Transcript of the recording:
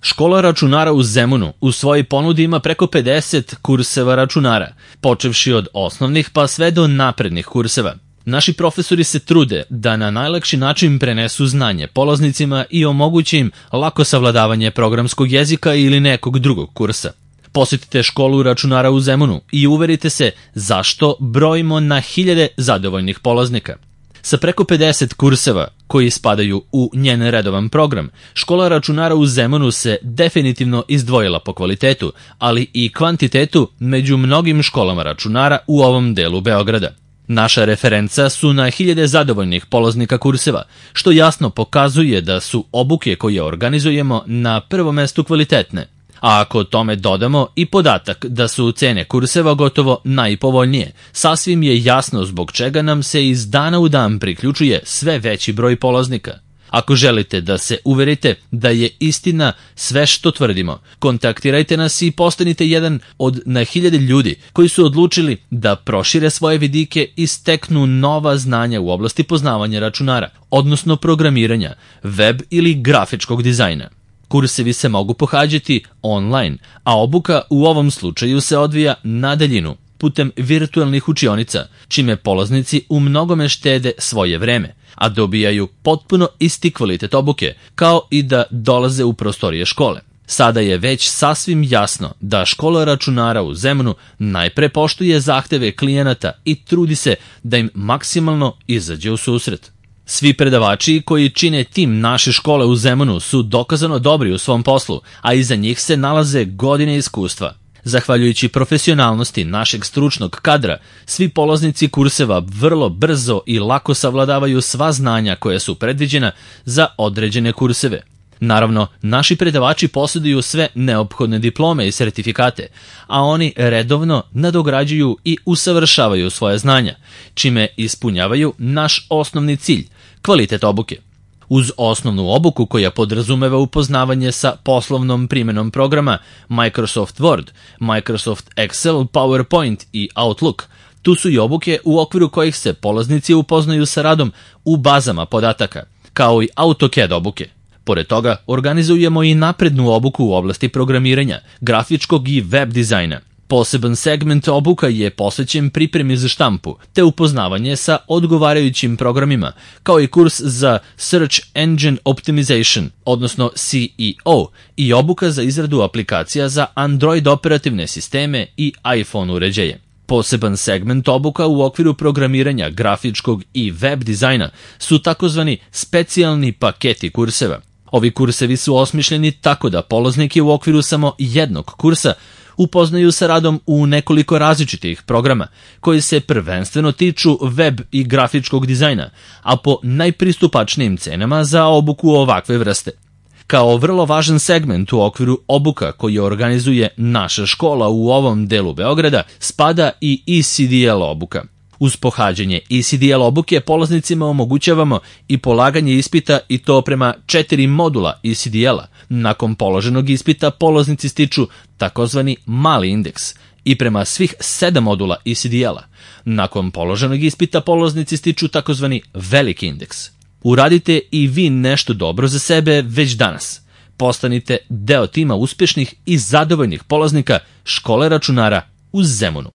Škola računara u Zemunu u svojoj ponudi ima preko 50 kurseva računara, počevši od osnovnih pa sve do naprednih kurseva. Naši profesori se trude da na najlakši način prenesu znanje polaznicima i omoguće im lako savladavanje programskog jezika ili nekog drugog kursa. Posjetite školu računara u Zemunu i uverite se zašto brojimo na hiljade zadovoljnih polaznika. Sa preko 50 kurseva koji spadaju u njen redovan program, škola računara u Zemunu se definitivno izdvojila po kvalitetu, ali i kvantitetu među mnogim školama računara u ovom delu Beograda. Naša referenca su na hiljade zadovoljnih polaznika kurseva, što jasno pokazuje da su obuke koje organizujemo na prvom mestu kvalitetne. A ako tome dodamo i podatak da su cene kurseva gotovo najpovoljnije, sasvim je jasno zbog čega nam se iz dana u dan priključuje sve veći broj polaznika. Ako želite da se uverite da je istina sve što tvrdimo, kontaktirajte nas i postanite jedan od na hiljade ljudi koji su odlučili da prošire svoje vidike i steknu nova znanja u oblasti poznavanja računara, odnosno programiranja, web ili grafičkog dizajna. Kursevi se mogu pohađati online, a obuka u ovom slučaju se odvija na daljinu, putem virtualnih učionica, čime polaznici u mnogome štede svoje vreme, a dobijaju potpuno isti kvalitet obuke, kao i da dolaze u prostorije škole. Sada je već sasvim jasno da škola računara u Zemunu najpre poštuje zahteve klijenata i trudi se da im maksimalno izađe u susret. Svi predavači koji čine tim naše škole u Zemunu su dokazano dobri u svom poslu, a iza njih se nalaze godine iskustva. Zahvaljujući profesionalnosti našeg stručnog kadra, svi polaznici kurseva vrlo brzo i lako savladavaju sva znanja koja su predviđena za određene kurseve. Naravno, naši predavači posjeduju sve neophodne diplome i sertifikate, a oni redovno nadograđuju i usavršavaju svoje znanja, čime ispunjavaju naš osnovni cilj, kvalitet obuke. Uz osnovnu obuku koja podrazumeva upoznavanje sa poslovnom primjenom programa Microsoft Word, Microsoft Excel, PowerPoint i Outlook, tu su i obuke u okviru kojih se polaznici upoznaju sa radom u bazama podataka, kao i AutoCAD obuke. Pored toga, organizujemo i naprednu obuku u oblasti programiranja, grafičkog i web dizajna. Poseban segment obuka je posvećen pripremi za štampu, te upoznavanje sa odgovarajućim programima, kao i kurs za Search Engine Optimization, odnosno SEO, i obuka za izradu aplikacija za Android operativne sisteme i iPhone uređaje. Poseban segment obuka u okviru programiranja, grafičkog i web dizajna su takozvani specijalni paketi kurseva. Ovi kursevi su osmišljeni tako da polazniki u okviru samo jednog kursa upoznaju sa radom u nekoliko različitih programa, koji se prvenstveno tiču web i grafičkog dizajna, a po najpristupačnijim cenama za obuku ovakve vrste. Kao vrlo važan segment u okviru obuka koji organizuje naša škola u ovom delu Beograda spada i ECDL obuka. Uz pohađanje ECDL obuke polaznicima omogućavamo i polaganje ispita, i to prema 4 modula ECDL-a. Nakon položenog ispita polaznici stiču takozvani mali indeks i prema svih 7 modula ECDL-a. Nakon položenog ispita polaznici stiču takozvani veliki indeks. Uradite i vi nešto dobro za sebe već danas. Postanite deo tima uspješnih i zadovoljnih polaznika škole računara u Zemunu.